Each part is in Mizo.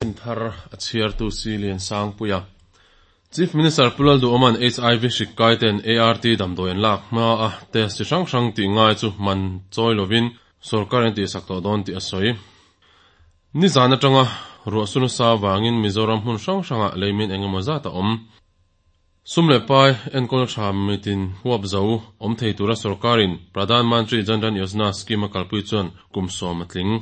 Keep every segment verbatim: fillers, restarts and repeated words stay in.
Thar a chhiartu si lian sangpuia. Chief Minister Pu Lalduhoma'n H I V hrik kaiten A R T damdawi an lak hma a test chi hrang hrang tih ngai chu man chawi lovin sorkar an tihsak tawh dawn tih a sawi. Nizan atanga ruah su nasa vangin Mizoram hmun hrang hrangah leimin engemaw zat a awm. Sum leh pai enkawl tha mitin huap zo awm thei tura sorkarin Pradhan Mantri Jan Dhan Yojana scheme a kalpui chuan kum sawm a tling.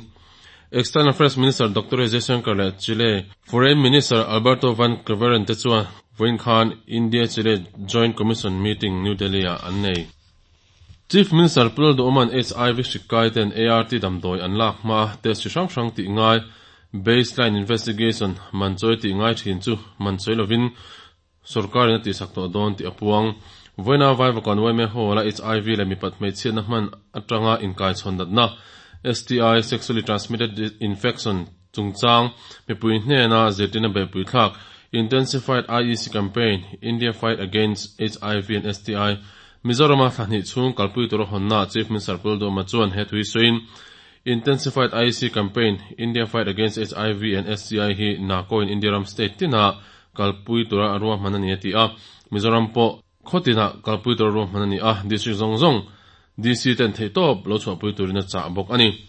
External Affairs Minister Doctor Jaishankar leh Chile Foreign Minister Alberto Van Klaveren te chuan vawiin khan India-Chile Joint Commission meeting New Delhi-ah an nei. Chief Minister Pu Lalduhoma'n H I V hrik kaiten A R T damdawi an lak hma test chi hrang hrang tih ngai, baseline investigation, man chawi tih ngai thin chu man chawi lovin sorkarin a tihsak tawh dawn tih a puang. Vawiina Vaivakawn Y M A Hall-a H I V leh mipat hmeichhiatna hman atanga inkaichhawn natna S T I, sexually transmitted infection, chungchang mipui hnena zirtirna beihpui thlak Intensified I E C Campaign, India Fight Against H I V and S T I, Mizorama thlahnih chhung kalpui tura hawnna Chief Minister Pu Lalduhoma chuan he thui sawiin, Intensified I E C Campaign, India Fight Against H I V and S T I hi NACO in India ram state tina kalpui tura a ruahman ani a ti a. Mizoram pawh khawtina kalpui tura ruahman ani a, district zawng zawng D C ten theihtawp lo chhuahpui turin a chah bawk ani.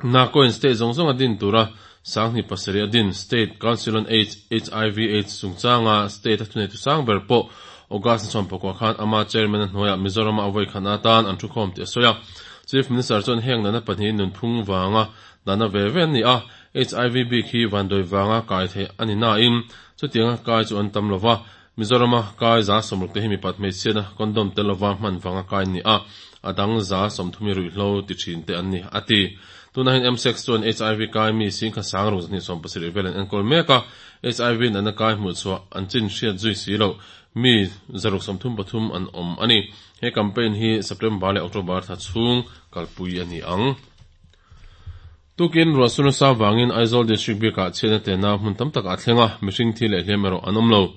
NACO in state zawng zawng a din tura sanghnih pasarih a din State Council on AIDS, H I V AIDS chungchanga state a thunei tu sang ber pawh August sawm pakua khan ama chairman a hnuaiah Mizoram a vawi khan atan an thu khawm tih a sawi a. Chief Minister chuan heng nana pahnih nunphung wanga dana ve ve ani a, H I V bik hi vandawi wanga kai thei ani na in chutianga kai chu an tam lova, Mizorama kai za sawmruk te hi mipat hmeichhiatna condom tel lova hman wanga kai ni a, adang za sawmthumi ruihhlo ti thin te an ni ati. Tuna hin M six chuan H I V kai mi sing kha sang ruk zahnih sawm pasarih vel an enkawl mek a, H I V nana kai hmuh chhuah an chin hriat zui si lo mi zaruk sawmthum pathum an awm ani. He campaign hi September leh October thla chhung kalpui ani ang. Tukin ruah su nasa wangin Aizawl District bikah chhiatna tena hmun tam tak a thlenga, mihring thi leh hliam erawh an awm lo.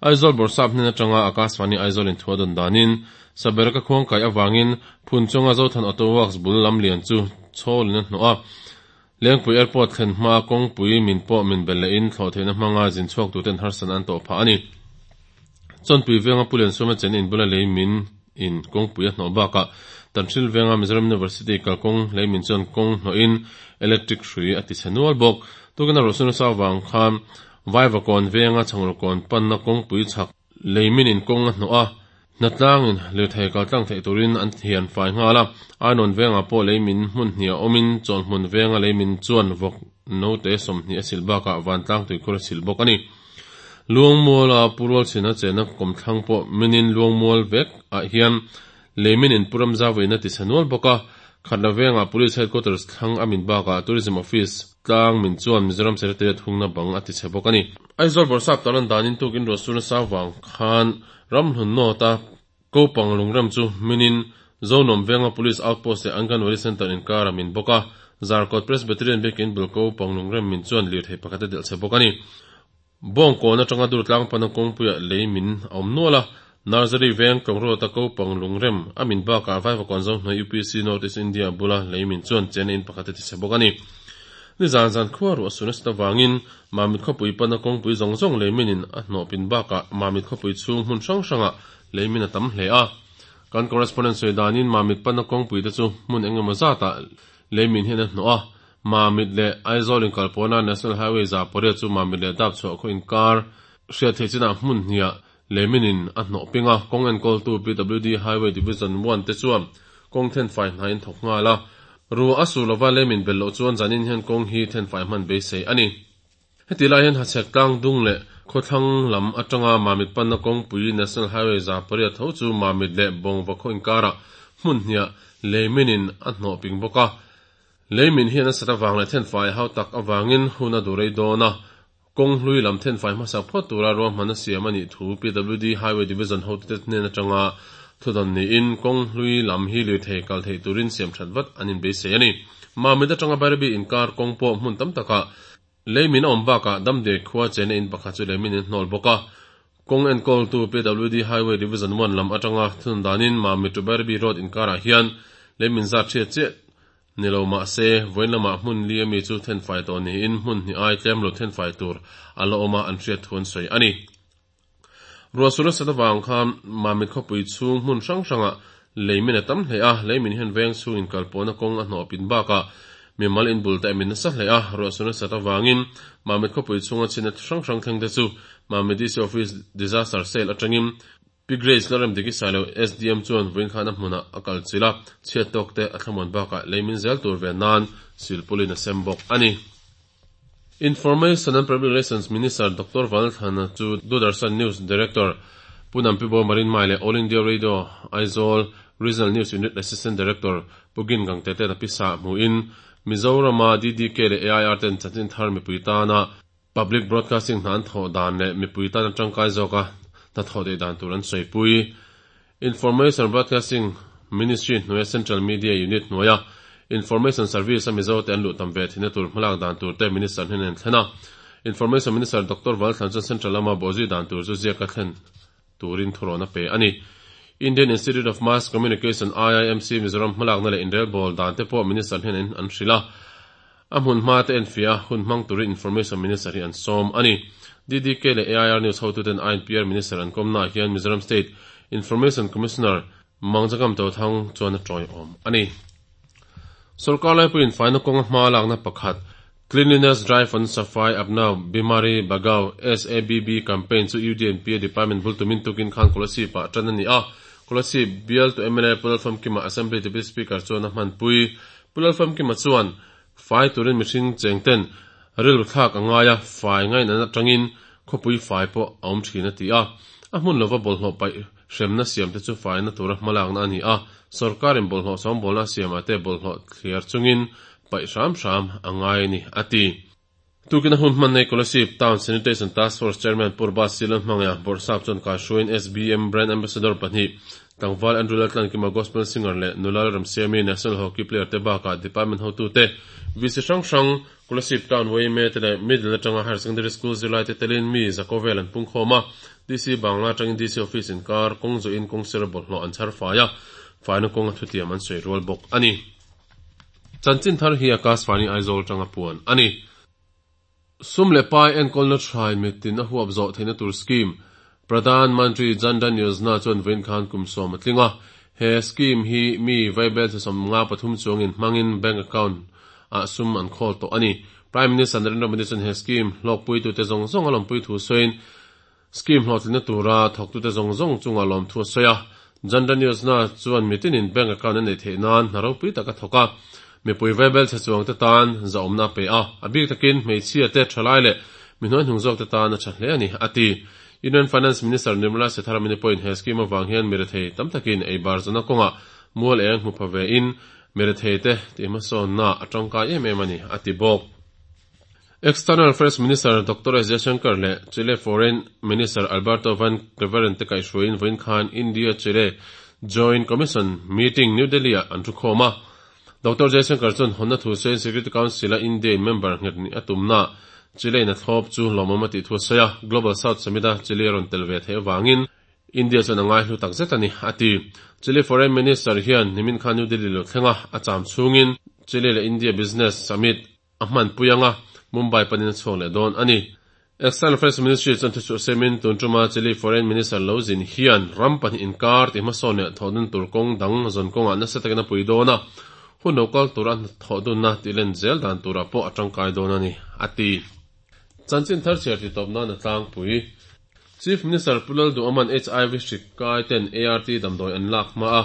Aizawl Bawrhsap hnen atanga Akashvani Aizawl in thua dawn danin sabereka khuang kai awangin phun chunga Zothan Auto Works bul lam lian chu chhawlin a hnawh a. Lengpui Airport thlen hma kawngpui min pawh min bel lehin thlawh theihna hmanga zin chhuak tuten harsan an tawh phah ani. Chawnpui venga Pulian Suma chen in bula lei min in kawngpui a hnawh bakah Tanhril venga Mizoram University kalkawng lei min chuan kawng hnawhin electric hrui a ti chhe nual bawk. Tukina ruah su nasa awang khan Vaivakawn venga Changurkawn panna kawngpui chhak lei min in kawng a hnawh a, hnatlangin lirthei kaltlang theih turin an hian fai nghal a. Ainawn venga pawh lei min hmun hnih a awmin chawn hmun venga lei min chuan vawk note sawmhnih a silh bakah vantlang tuikhur a silh bawk ani. Luangmual a purual chhina chena kawmthlang pawh minin Luangmual vek ah hian leimin in puram zawiin a ti chhe nual bawk a. Khatla venga Police Headquarters thlang a min bakah Tourism Office tlang min chuan Mizoram Secretariat hungna bang a ti chhe bawk ani. Aizawl Bawrhsap talan danin tukin ruah su nasa wang khan ramhlun nawta kopang lungrem chu minin Zonuam venga Police Outpost leh Anganwadi Center inkar a min bawk a. Zarkawt Presbyterian biakin bul kopang lungrem min chuan lirthei pakhat a delh chhe bawk ani. Bawngkawn atanga Durtlang pana kawngpuiah lei min a awm nual a. Nursery veng Tlawngruata kopang lungrem a min bakah Vaivakawn Zohnuai U P C North East India bula lei min chuan chena in pakhat a ti chhe bawk ani. Ni zan zan khua ruah su nasa wangin Mamit khawpui pana kawngpui zawng zawng lei minin a hnawh pin bakah Mamit khawpui chhung hmun hrang hrangah lei min a tam hle a. Kan correspondent sawi danin Mamit pana kawngpui te chu hmun engemaw zatah lei min hian a hnawh a. Mamit leh Aizawl inkalpawhna National Highway za pariat chu Mamit leh Dapchhuah khaw inkar hriat thei chinah hmun hniah lei minin a hnawh ping a. Kawng enkawltu P W D Highway Division one te chuan kawng thenfai hnain thawk nghal a. Ruah a su lova leimin bel loh chuan zanin hian kawng hi thenfai hman beisei ani. Heti lai hian hachhek tlang dung leh khawthlang lam atanga Mamit panna kawngpui National Highway za pariat tho chu Mamit leh Bawngva khaw inkarah hmun hniah leiminin a hnawh ping bawk a. Leimin hian a sat awang leh thenfai hau tak awangin hun a durei dawn a, kawng hlui lam thenfai hmasak phawt tura ruahman a siam ani thu P W D Highway Division hotute hnen atanga thudawn niin kawng hlui lam hi lirthei kal thei turin siam that vat an inbeisei ani. Mamit atanga Bairabi inkar kawng pawh hmun tam takah leimin a awm bakah damdiai khua chena in pakhat chu leimin in hnawl bawk a. Kawng enkawltu P W D Highway Division one lam atanga thudawn danin Mamit to Bairabi Road inkarah hian leimin zat hriat chiah Ni lo mah se, vawiin lamah hmun li ami chu thenfai tawh niin hmun hnih ai tlem lo thenfai tur a la awm a, an hriat thu an sawi a ni. Ruahsur nasat avang khan Mamit khawpui chhung hmun hrang hrangah leimin a tam hle a, leimin hian veng chhung inkalpawhna kawng a hnawh pin bakah mimal inbul te a min nasa hle a, ruahsur nasat avangin Mamit khawpui chhunga chhina hrang hrang thleng te chu Mamit D C Office Disaster Cell atangin Pi Grace Lalremdiki Sailo S D M chuan vawiin khan a hmunah a kal chilh a, chhiat tawk te a thlamuan bakah leimin zel tur ve nan silpulin a sem bawk a ni. Information and Public Relations Minister Doctor Vanlalthlana chu Doordarshan News Director Pu Nampibo Marin Mai leh All India Radio Aizawl Regional News Unit Assistant Director Pu Gin Gangte ten a pisa hmuhin Mizorama D D K leh A I R ten chanchin thar mipui tana Public Broadcasting hna an thawh dan leh mipui tana tangkai zawka hna thawh theih dan tur an sawipui. Information Broadcasting Ministry hnuaia Central Media Unit hnuaia Information Service a Mizo te an luh tam ve thihna tur hmalak dan tur te Minister hnen an thlen a. Information Minister Doctor Valthlan chuan Central lama bawhzui dan tur chu ziaka thlen turin thurawn a pe a ni. Indian Institute of Mass Communication, I I M C, Mizoram hmalakna leh inrelbawl dan te pawh Minister hnen an hrilh a. A hmun hma te enfiah a hun hmang turin Information Minister hi an sawm a ni. D D K leh A I R News hotuten I N P R Minister an kawmnaah hian Mizoram State Information Commissioner Mangjakam Tothang chuan a tawiawm a ni. Sorkar laipuiin faina kawnga hma lakna pakhat Cleanliness Drive on Safai Apna Bimari Bhagao S A B B campaign chu U D N P A Department bul tumin tukin khan Kolasib ah tan a ni a. Kolasib bial tu M L A Pu Lalfamkima Assembly Deputy Speaker chuan a hmanpui. Pu Lalfamkima chuan fai turin mihring chengten rilru thlak a ngai a, fai ngain an atangin khawpui fai pawh a awm thin a ti a. A hmun lova bawlhhlawh paih hremna siam te chu faina tura hmalakna a ni a, sorkarin bawlhhlawh sawmbawlna siamah te bawlhhlawh thliar chungin paih hram hram a ngai a ni a ti. Tukin a hun hman nei Kolasib Town Sanitation Task Force Chairman Purba Silan hmangaiah Bawrhsap chuan kaihruaiin S B M Brand Ambassador pahnih Tlangval Andrew Laltlankima Gospel Singer leh Nulal Ramsiami National Hockey Player te bakah Department hotute V C hrang hrang Kolasib Town Y M A te leh Middle atanga Higher Secondary School zirlai te telin mi Zakovel an pung khawm a, D C Bangla atangin D C Office inkar kawng zawhin kawng sir bawlhhlawh an chhar fai a, faina kawng a thutiam an sawi rual bawk a ni. Chanchin thar hi Akashvani Aizawl tanga puan a ni. Sum leh pai enkawlna thain mitin a huap zawh theihna tur scheme Pradhan Mantri Jan Dhan Yojana chuan vawiin khan kum sawm a tling a. He scheme hi mi vaibel sawm nga pathum chuangin hmangin bank account ah sum an khawl tawh a ni. Prime Minister Narendra Modi chuan he scheme hlawkpuitute zawng zawng a lawmpui thu sawiin scheme hlawhtlinna tura thawktute zawng zawng chunga lawm thu a sawi a. Jan Dhan Yojana chuan mitinin bank account an nei theih nan hna ropui tak a thawk a. Mipui vaibel chhe chuang te tan zahawmna a pe a, a bik takin hmeichhia te thalai leh mi hnuai hnung zawk te tan a tha hle a ni a ti. Union Finance Minister Nirmala Sitharaman pawhin he scheme avang hian mirethei tam takin ei bar zawna kawngah mual eng hmu pha ve in mirethei te tih hmasawnna a tangkai em em a ni a ti bawk. External Affairs Minister Doctor S Jaishankar leh Chile Foreign Minister Alberto Van Klaveren te kaihhruaiin vawiin khan India-Chile Joint Commission meeting New Delhi-ah an thu khawm a. Doctor Jaishankar chuan hawnna thu sawiin Security Council-a India in member nghet ni a tumna Chile in a thlawp chu lawmawm a tih thu a sawi a, Global South Summit-a Chile a rawn tel ve theih avangin India chuan a ngai hlu tak zet a ni a ti. Chile Foreign Minister hian nimin khan New Delhi lo thleng a, a cham chhungin Chile leh India Business Summit a hmanpui anga Mumbai panin a chhuak leh dawn a ni. External Affairs Ministry chuan thuchhuah semin tun tuma Chile Foreign Minister lo zin hian ram pahnih inkar tih hmasawn leh thawhdun tur kawng dang zawn kawngah nasa takin a pui dawn a, hun lo kal tura thawhdunna tih len zel dan turah pawh a tangkai dawn a ni a ti. Chanchin thar chhiar ti tawp nan a tlangpui. Chief Minister Pu Lalduhoma'n H I V hrik kai ten A R T damdawi an lak hma a,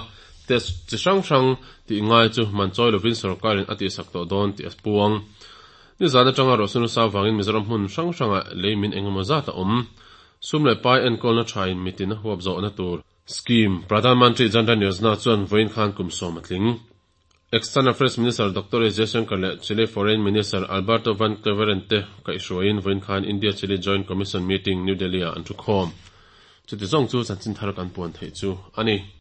test chi hrang hrang tih ngai chu man chawi lovin sorkarin a tihsak tawh dawn tih a puang. Nizan atanga ruahsunu sa vangin Mizoram hmun hrang hrangah leimin engemaw zat a awm. Sum leh pai enkawlna thain mitin a huap zawhna tur scheme Pradhan Mantri Jan Dhan Yojana chuan vawiin khan kum sawm a tling. External Affairs Minister Doctor S Jaishankar leh Chile Foreign Minister Alberto Van Klaveren te kaihhruaiin vawiin khan India-Chile Joint Commission meeting New Delhi-ah an thu khawm. Chuti zawng chu chanchin thar kan puan theih chu a ni.